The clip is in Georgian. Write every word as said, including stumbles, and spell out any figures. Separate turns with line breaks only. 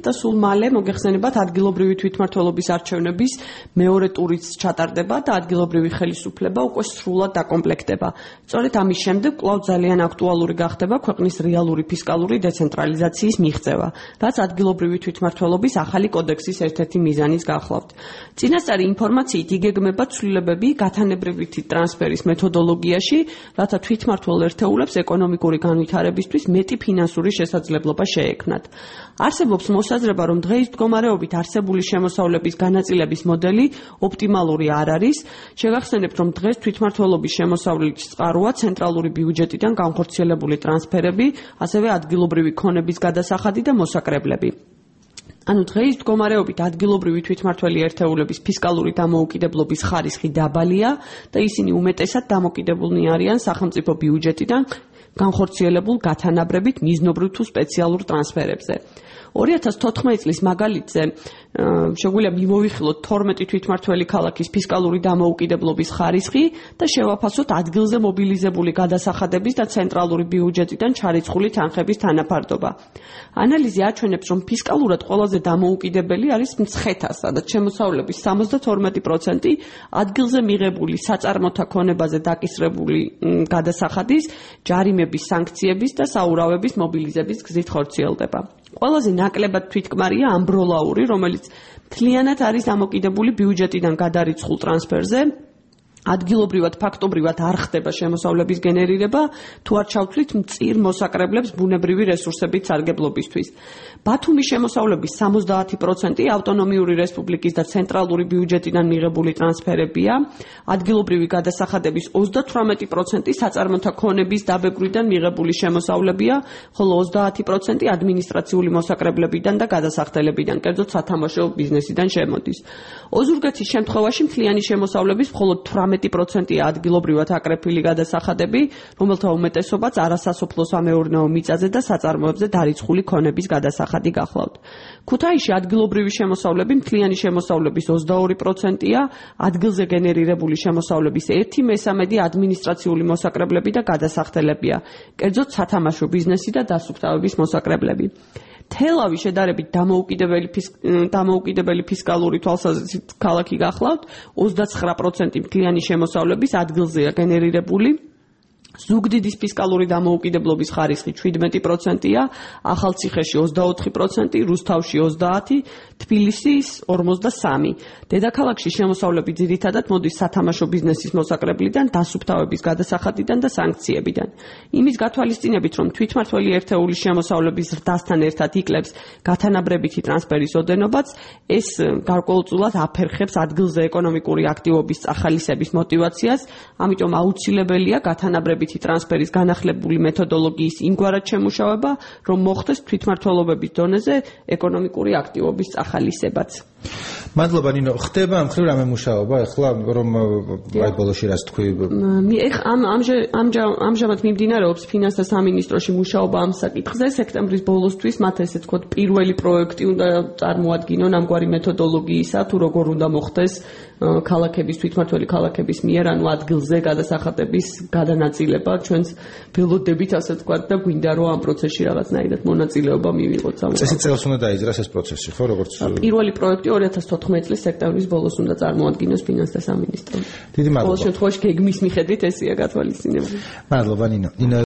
და სულ მალე მოგეხსენებათ ადგილობრივი თვითმმართველობის არჩევნების მეორე ტურიც ჩატარდება და ადგილობრივი ხელისუფლება უკვე სრულად დაკომპლექტდება. სწორედ ამის შემდეგ კვლავ ძალიან აქტუალური გახდება ქვეყნის რეალური ფისკალური დეცენტრალიზაციის მიღწევა, რაც ადგილობრივი თვითმმართველობის ახალი კოდექსის ერთ-ერთი მიზანის გახლავთ. წინასწარი ინფორმაციით იგეგმება ცვლილებები გათანაბრებითი ტრანსფერის მეთოდოლოგიაში, რათა თვითმმართველ ერთეულებს ეკონომიკური განვითარებისთვის მეტი ფინანსური შესაძლებლობა შეექმნათ. არსებობს მოსაზრება, რომ დღეის მდგომარეობით არსებული შემოსავლების განაწილების მოდელი ოპტიმალური არ არის. შეგახსენებთ, რომ დღეს თვითმმართველობის შემოსავლის წყაროა ცენტრალური ბიუჯეტიდან განხორციელებული ტრანსფერები, ასევე ადგილობრივი ქონების გადასახადი და მოსაკრებლები. ანუ დღეის მდგომარეობით ადგილობრივი თვითმმართველი ერთეულების ფისკალური დამოუკიდებლობის ხარისხი დაბალია და ისინი უმეტესად დამოკიდებულნი არიან სახელმწიფო ბიუჯეტიდან განხორციელებულ გათანაბრებით მიზნობრივ თუ სპეციალურ ტრანსფერებზე. ორი ათას თოთხმეტი წლის მაგალითზე შეგვიძლია მიმოვიხილოთ თორმეტი თვითმმართველი ქალაქის ფისკალური დამოუკიდებლობის ხარისხი და შევაფასოთ ადგილზე მობილიზებული გადასახადების და ცენტრალური ბიუჯეტიდან ჩარიცხული თანხების თანაფარდობა. ანალიზი აჩვენებს, რომ ფისკალურად ყველაზე დამოუკიდებელი არის მცხეთა, სადაც შემოსავლების სამოცდათორმეტი პროცენტი ადგილზე მიღებული საწარმოთა ქონებაზე დაკისრებული გადასახადის, ჯარიმების, სანქციების და საურავების მობილიზების გზით ხორციელდება. ყველაზე ნაკლებად თვითკმარია ამბროლაური, რომელიც მთლიანად არის დამოკიდებული ბიუჯეტიდან გადარიცხულ ტრანსფერზე. ადგილობრივად ფაქტობრივად არ ხდება შემოსავლების გენერირება, თუ არ ჩავთვლით მწირ მოსაკრებლებს ბუნებრივი რესურსებით სარგებლობისთვის. ბათუმის შემოსავლების სამოცდაათი პროცენტი ავტონომიური რესპუბლიკის და ცენტრალური ბიუჯეტიდან მიღებული ტრანსფერებია, ადგილობრივი გადასახადების ოცდათვრამეტი პროცენტი საწარმოთა ქონების დაბეგვრიდან მიღებული შემოსავლებია, ხოლო ოცდაათი პროცენტი ადმინისტრაციული მოსაკრებლებიდან და გადასახდებლებიდან, კერძოდ სათამაშო ბიზნესიდან შემოდის. ოზურგეთის შემთხვევაში მთლიანი შემოსავლების მხოლოდ თვრამეტი პროცენტია ადგილობრივად აკრეფილი გადასახადები, რომელთა უმეტესობაც არასასოფლო-სამეურნეო მიწაზე და საწარმოებზე დარიცხული ქონების გადასახადი გახლავთ. ქუთაისში ადგილობრივი შემოსავლები მთლიანი შემოსავლების ოცდაორი პროცენტია, ადგილზე გენერირებული შემოსავლების ერთი მესამედი ადმინისტრაციული მოსაკრებლები და გადასახდებლებია, კერძოდ სათამაშო ბიზნესი და დასუფთავების მოსაკრებლები. თელავი შედარებით დამოუკიდებელი დამოუკიდებელი ფისკალური თვალსაზრისით ქალაქი გახლავთ, ოცდაცხრა პროცენტი მთლიანი შემოსავლების ადგილზეა გენერირებული. ზუგდიდის ფისკალური დამოუკიდებლობის ხარისხი შვიდმეტი პროცენტია, ახალციხეში ოცდაოთხი პროცენტი, რუსთავში ოცდაათი, თბილისის ორმოცდასამი. დედაქალაქში შემოსავლები ძირითადად მოდის სათამაშო ბიზნესის მოსაკრებლიდან, დასუფთავების გადასახადიდან და სანქციებიდან. იმის გათვალისწინებით, რომ თვითმმართველი ერთეულის შემოსავლების ზრდასთან ერთად იკლებს გათანაბრებითი ტრანსფერის ოდენობაც, ეს გარკვეულწილად აფერხებს ადგილზე ეკონომიკური აქტივობის წახალისების მოტივაციას, ამიტომ აუცილებელია გათანაბრებითი ტრანსფერის განახლებული მეთოდოლოგიის იმგვარად შემუშავება, რომ მოხდეს თვითმმართველობების დონეზე ეკონომიკური აქტივობის წახალისებაც.
მადლობა ნინო, ხდება ამ მხრივ რამე მუშაობა ახლა რომ აი ბოლოში რაც თქვი
ამ ამჟამად მიმდინარეობს ფინანსთა სამინისტროში მუშაობა ამ საკითხზე. სექტემბრის ბოლოსთვის მათ ესე ვთქვათ პირველი პროექტი უნდა წარმოადგინონ ამგვარი მეთოდოლოგიისა, თუ როგორ უნდა მოხდეს ქალაქების თვითმმართველი ქალაქების მიერ, ანუ ადგილზე გადასახადების გადანაწილება. ჩვენს ველოდებით ასე ვთქვათ და გვინდა რომ ამ პროცესში რაღაცნაირად მონაწილეობა მივიღოთ.
წესი წელს უნდა დაიძრას ეს პროცესი, ხო, როგორც
პირველი პროექტი ორი ათას თოთხმეტი წლის სექტემბრის ბოლოს უნდა წარმოადგინოს ფინანსთა სამინისტრო.
დიდი მადლობა.
ყოველ შემთხვევაში გეგმის მიხედვით ესეა გათვალისწინებული.
მადლობა ნინო.